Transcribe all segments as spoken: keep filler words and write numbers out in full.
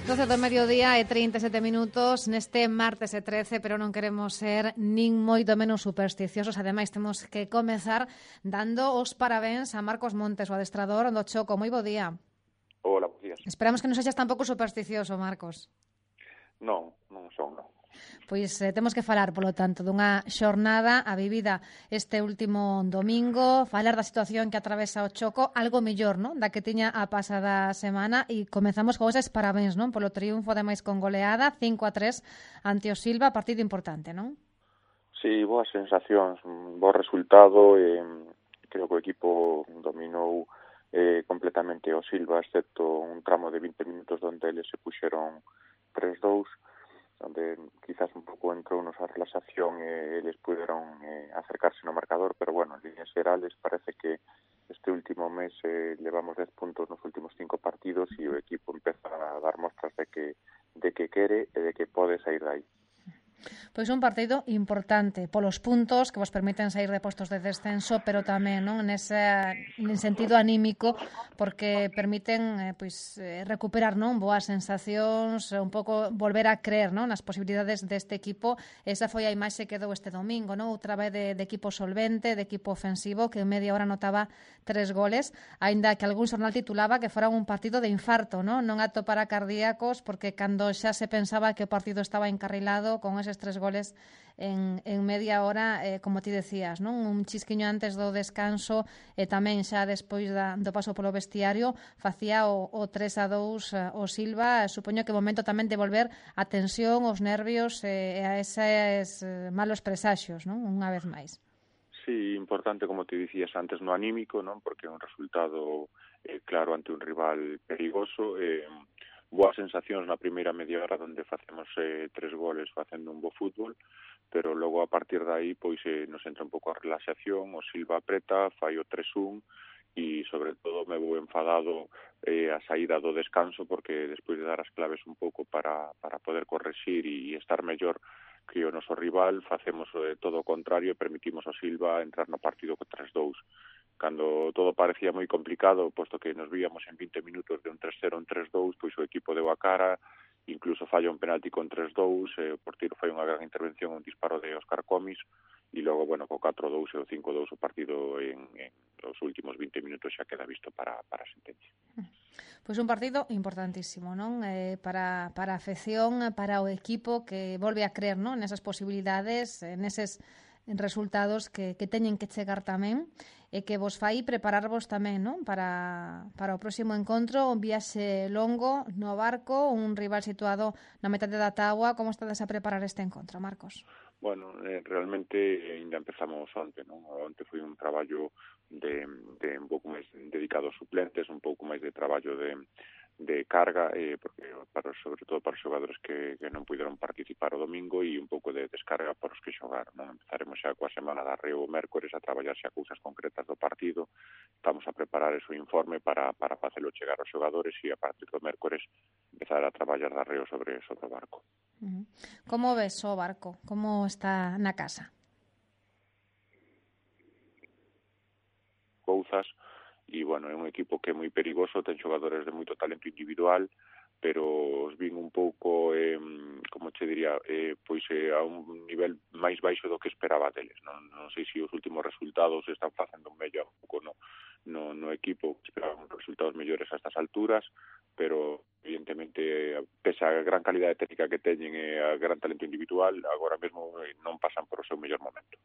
doce do mediodía e trinta e sete minutos neste martes e trece, pero non queremos ser nin moito menos supersticiosos. Ademais, temos que comezar dando os parabéns a Marcos Montes, o adestrador do Choco. Moi bo día. Hola, buenos días. Esperamos que non sexas tampouco supersticioso, Marcos. Non, non son, non. Pois eh, temos que falar, polo tanto, dunha xornada a vivida este último domingo, falar da situación que atravesa o Choco, algo mellor, non? Da que tiña a pasada semana, e comezamos con eses parabéns, non? Polo triunfo, ademais, con goleada, cinco a tres ante o Silva, partido importante, non? Sí, boas sensacións, un bo resultado, e creo que o equipo dominou eh, completamente o Silva, excepto un tramo de vinte minutos onde eles se puxeron tres dous, onde quizás un pouco entrou nosa relaxación e eles puderon eh, acercarse no marcador, pero bueno, en líneas xerales parece que este último mes eh, levamos dez puntos nos últimos cinco partidos e o equipo empeza a dar mostras de que de que quere e de que pode sair dai. Pois un partido importante polos puntos que vos permiten sair de postos de descenso, pero tamén, non, nese, en sentido anímico, porque permiten eh, pois eh, recuperar, non, boas sensacións, un pouco volver a creer, non, nas posibilidades deste equipo. Esa foi a imaxe que dou este domingo, non, outra vez de, de equipo solvente, de equipo ofensivo, que en media hora notaba tres goles, aínda que algún xornal titulaba que fora un partido de infarto, non, non apto para cardíacos, porque cando xa se pensaba que o partido estaba encarrilado con eses tres goles en, en media hora, eh, como ti decías, non? Un chisquiño antes do descanso e tamén xa despois da, do paso polo vestiario facía o, o tres a dous uh, o Silva. Supoño que o momento tamén de volver a tensión, os nervios e eh, a eses eh, malos presaxios, non? Unha vez máis. Sí, importante, como te dicías antes, no anímico, non? Porque é un resultado eh, claro ante un rival perigoso, eh, boas sensacións na primeira media hora onde facemos eh, tres goles facendo un bo fútbol, pero logo a partir de aí pois eh, nos entra un pouco a relaxación, o Silva apreta, fai o tres un e sobre todo me vou enfadado eh, a saída do descanso, porque despois de dar as claves un pouco para, para poder correxir e estar mellor que o noso rival, facemos eh, todo o contrario e permitimos ao Silva entrar no partido co tres dous. Cando todo parecía moi complicado, posto que nos víamos en vinte minutos de un tres cero en tres dous, pois o equipo deu a cara, incluso falla un penalti con tres dous, eh, o portiro fai unha gran intervención, un disparo de Óscar Comis, e logo, bueno, co catro dous e o cinco dous o partido en, en os últimos vinte minutos xa queda visto para, para a sentencia. Pois un partido importantísimo, non? Eh, para, para a afección, para o equipo que volve a creer, non, nesas posibilidades, neses resultados que, que teñen que chegar tamén, e que vos fai prepararvos tamén, non? Para, para o próximo encontro, un viaxe longo no Barco, un rival situado na metade da táboa. Como estades a preparar este encontro, Marcos? Bueno, eh, realmente ainda empezamos onte, non? Onte foi un traballo de, de un pouco máis dedicado aos suplentes, un pouco máis de traballo de, de carga, eh, porque para, sobre todo para os xogadores que, que non puderon participar o domingo, e un pouco de descarga para os que xogaron, non? Empezaremos xa coa semana da Reo o mércores a traballar xa cousas concretas do partido. Estamos a preparar ese informe para, para facelo chegar aos xogadores e a partir do mércores empezar a traballar da Reo sobre, sobre o Barco. Uh-huh. Como ves o Barco? Como está na casa? Cousas, e, bueno, é un equipo que é moi perigoso, ten xogadores de moito talento individual, pero os vin un pouco, eh, como che diría, eh, pois eh, a un nivel máis baixo do que esperaba deles. Non, non sei se os últimos resultados están facendo un mellor un pouco no, no, no equipo, esperaban resultados mellores a estas alturas, pero evidentemente, pese a gran calidade técnica que teñen e a gran talento individual, agora mesmo non pasan por o seu mellor momento.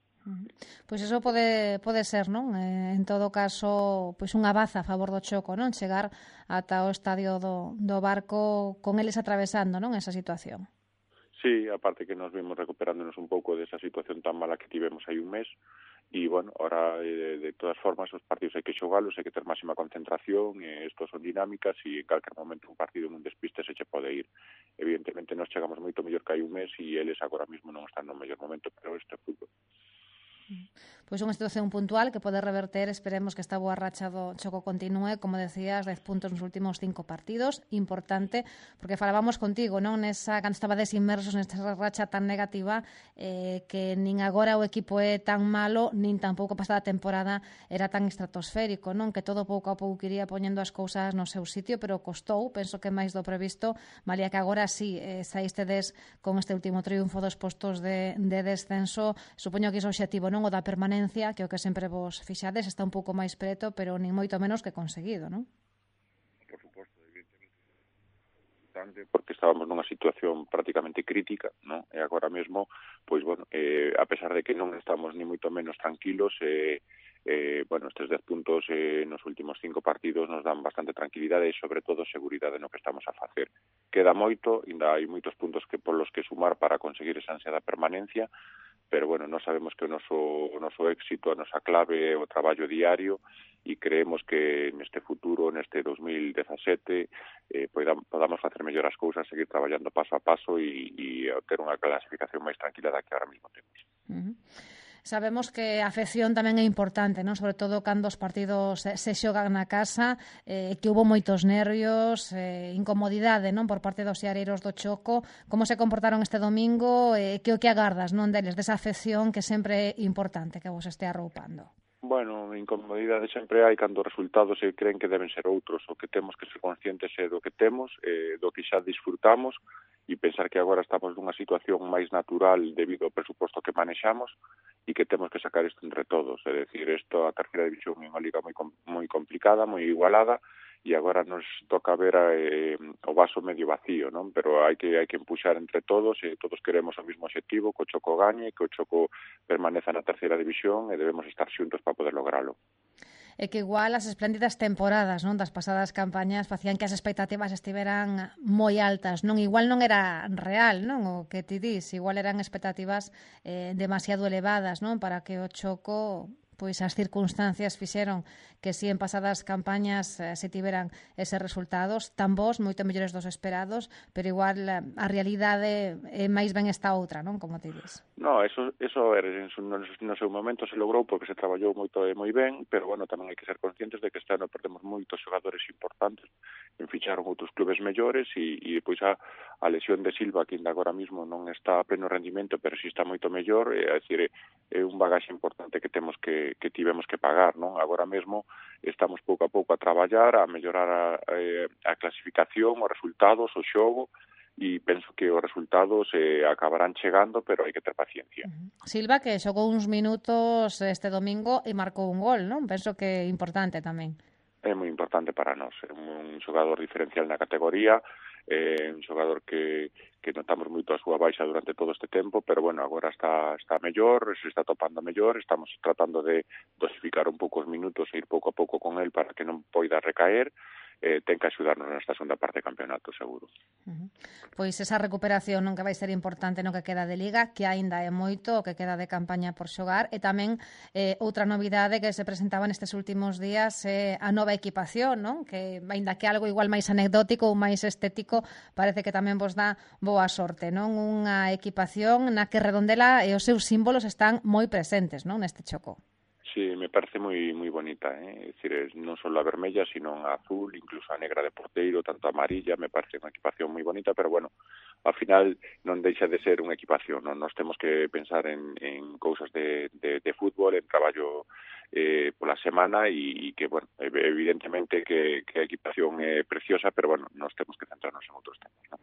Pois iso pode, pode ser, non? Eh, en todo caso, pois unha baza a favor do Choco, non? Chegar ata o estadio do, do Barco con eles atravesando, non? Esa situación. Sí, aparte que nos vimos recuperándonos un pouco desa situación tan mala que tivemos hai un mes, e, bueno, ahora, de, de todas formas, os partidos hai que xogalos, hai que ter máxima concentración, e estos son dinámicas, e en calquer momento un partido en un despiste se che pode ir. Evidentemente, nos chegamos moito mellor que hai un mes, e eles agora mesmo non están no mellor momento, pero este é fútbol. pois unha situación puntual que pode reverter, esperemos que esta boa racha do Choco continúe, como decías, dez puntos nos últimos cinco partidos, importante, porque falábamos contigo, non, nesa, cando estabades inmersos nesta racha tan negativa, eh, que nin agora o equipo é tan malo, nin tampouco pasada temporada era tan estratosférico, non, que todo pouco a pouco iría poñendo as cousas no seu sitio, pero costou, penso que máis do previsto, valía que agora sí, eh, saístedes con este último triunfo dos postos de, de descenso, supoño que iso objetivo, non, o da permanencia, que o que sempre vos fixades está un pouco máis preto, pero nin moito menos que conseguido, non? Por suposto, evidentemente, porque estábamos nunha situación prácticamente crítica, non? E agora mesmo, pois, bueno, eh, a pesar de que non estamos ni moito menos tranquilos, eh, eh, bueno, estes dez puntos eh, nos últimos cinco partidos nos dan bastante tranquilidade e, sobre todo, seguridade no que estamos a facer. Queda moito, ainda hai moitos puntos que polos que sumar para conseguir esa ansiada permanencia, pero, bueno, nós sabemos que o noso, o noso éxito, a nosa clave é o traballo diario e creemos que neste futuro, neste dos mil dezasete, eh, podamos, podamos facer mellor as cousas, seguir traballando paso a paso e, e ter unha clasificación máis tranquila da que ahora mismo temos. Uh-huh. Sabemos que a afección tamén é importante, non? Sobre todo cando os partidos se xogan na casa, eh, que houve moitos nervios, eh, incomodidade, non, por parte dos seareiros do Choco. Como se comportaron este domingo? Eh, que o que agardas, non, deles, desa afección que sempre é importante que vos este arroupando? Bueno, incomodidade sempre hai cando os resultados se creen que deben ser outros. O que temos que ser conscientes é do que temos, eh, do que xa disfrutamos, e pensar que agora estamos nunha situación máis natural debido ao presuposto que manexamos e que temos que sacar isto entre todos. É dicir, isto, a terceira división é unha liga moi moi complicada, moi igualada, e agora nos toca ver eh, o vaso medio vacío, non? Pero hai que hai que empuxar entre todos, e todos queremos o mismo objetivo, que o Choco gañe, que o Choco permaneza na terceira división, e debemos estar xuntos para poder logralo. É que igual as espléndidas temporadas, non, das pasadas campañas facían que as expectativas estiveran moi altas, non, igual non era real, non, o que ti dis, igual eran expectativas eh, demasiado elevadas, non, para que o Choco, pois as circunstancias fixeron que si en pasadas campañas eh, se tiveran eses resultados tan bons, moito mellores dos esperados, pero igual a realidade é máis ben esta outra, non, como ti dis. No, eso, eso era, no, no seu momento se logrou porque se traballou moito e moi ben, pero, bueno, tamén hai que ser conscientes de que este ano perdemos moitos xogadores importantes, en ficharon outros clubes mellores, e, e depois a, a lesión de Silva, que ainda agora mismo non está a pleno rendimento, pero si está moito mellor, é, é dicir, é un bagaxe importante que temos que, que tivemos que pagar, non? Agora mesmo estamos pouco a pouco a traballar, a mellorar a, a clasificación, os resultados, o xogo, e penso que os resultados eh, acabarán chegando, pero hai que ter paciencia. Uh-huh. Silva, que xogou uns minutos este domingo e marcou un gol, non? Penso que é importante tamén. É moi importante para nós, é un xogador diferencial na categoría, é un xogador que, que notamos moito a súa baixa durante todo este tempo, pero, bueno, agora está, está mellor, se está topando mellor, estamos tratando de dosificar un pouco os minutos e ir pouco a pouco con el para que non poida recaer, eh, ten que axudarnos nesta segunda parte do campeonato, seguro. Uh-huh. Pois esa recuperación non que vai ser importante no que queda de Liga, que aínda é moito o que queda de campaña por xogar, e tamén eh, outra novidade que se presentaba nestes últimos días é eh, a nova equipación, non? Que aínda que algo igual máis anecdótico ou máis estético, parece que tamén vos dá boa sorte, non? Unha equipación na que Redondela e os seus símbolos están moi presentes, non? Neste Choco. Sí, me parece moi moi bonita, eh? É dicir, non só a vermella, sino a azul, incluso a negra de porteiro, tanto a amarilla, me parece unha equipación moi bonita, pero, bueno, ao final non deixa de ser unha equipación, non? Nos temos que pensar en, en cousas de, de, de fútbol, en traballo eh, pola semana, e, e que, bueno, evidentemente que, que a equipación é preciosa, pero, bueno, nos temos que centrarnos en outros temas, non?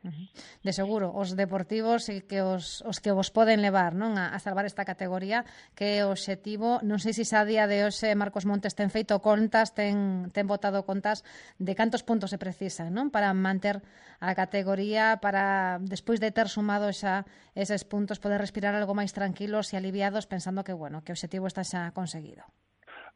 De seguro, os deportivos e que os, os que vos poden levar, non, a, a salvar esta categoría, que é o obxectivo. Non sei se xa a día de hoxe Marcos Montes ten feito contas, ten, ten botado contas de cantos puntos se precisan, non, para manter a categoría, para, despois de ter sumado xa eses puntos, poder respirar algo máis tranquilos e aliviados, pensando que, bueno, que o obxectivo está xa conseguido.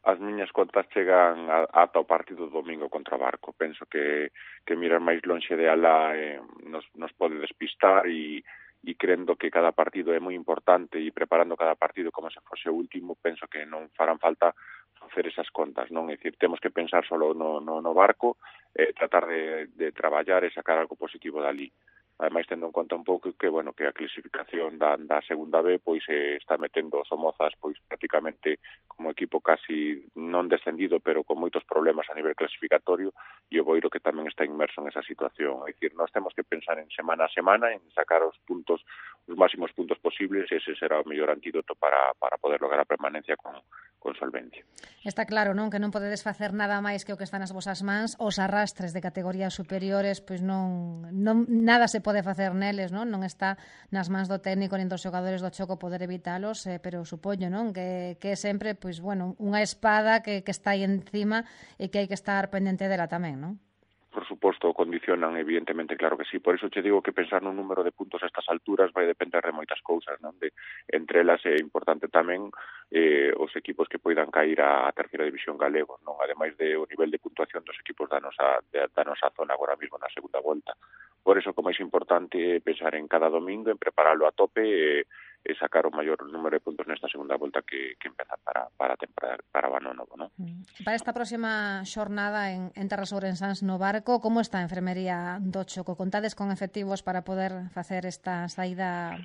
As miñas contas chegan a, ata o partido do domingo contra o Barco. Penso que, que mirar máis lonxe de alá eh, nos, nos pode despistar, e, e crendo que cada partido é moi importante, e preparando cada partido como se fose o último, penso que non farán falta facer esas contas, non? É dicir, temos que pensar solo no, no, no Barco, eh, tratar de, de traballar e sacar algo positivo dali. ademais tendo en conta un pouco que, bueno, que a clasificación da, da segunda B pois eh, está metendo os Somozas pois prácticamente como equipo casi non descendido, pero con moitos problemas a nivel clasificatorio, e o Boiro que tamén está inmerso en esa situación. É dicir, nós temos que pensar en semana a semana, en sacar os puntos, os máximos puntos posibles, e ese será o mellor antídoto para, para poder lograr a permanencia con, con solvencia. Está claro, non? Que non podedes facer nada máis que o que está nas vosas mans, os arrastres de categorías superiores, pois non, non nada se pode facer neles, non? Non está nas mans do técnico nin dos xogadores do Choco poder evitalos, eh, pero supoño, non? Que, que é sempre, pois, bueno, unha espada que, que está aí encima e que hai que estar pendente dela tamén, non? Por suposto, condicionan, evidentemente, claro que sí. Por iso che digo que pensar nun número de puntos a estas alturas vai depender de moitas cousas, non? De, entre elas é importante tamén eh, os equipos que poidan cair á terceira división galego, non? Ademais de o nivel de puntuación dos equipos da nosa, de, da nosa zona agora mesmo na segunda volta. Por iso, como é importante pensar en cada domingo, en prepararlo a tope e, e sacar o maior número de puntos nesta segunda volta que, que empeza para, para a temporada, para o ano novo, non? Para esta próxima xornada en, en Terras Ourensans no Barco, como está a enfermería do Choco? Contades con efectivos para poder facer esta saída?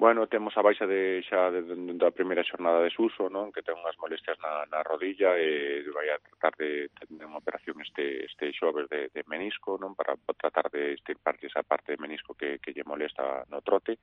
Bueno, temos a baixa de xa de, de, da primeira xornada de Suso, non? Que ten unhas molestias na, na rodilla e vai a tratar de tener unha operación este este xoves de, de menisco, non? Para tratar de estirpar esa parte de menisco que, que lle molesta no trote,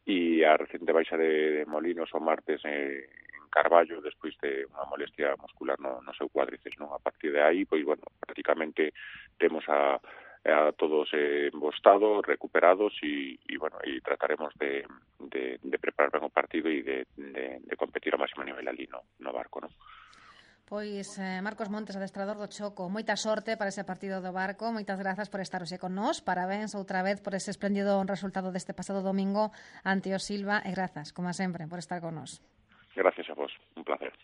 e a recente baixa de, de Molinos o martes eh, en Carballo despois de unha molestia muscular no, no seu cuádriceps, non? A partir de aí, pois, bueno, prácticamente temos a a todos eh, en bo estado, recuperados e, e bueno, e trataremos de, de, de preparar ben o partido e de, de, de competir ao máximo nivel ali no, no Barco, non? Pois eh, Marcos Montes, adestrador do Choco, moita sorte para ese partido do Barco, moitas grazas por estar hoxe con nós, parabéns outra vez por ese espléndido resultado deste pasado domingo ante o Silva e grazas, como sempre, por estar con nós. Gracias a vos, un placer.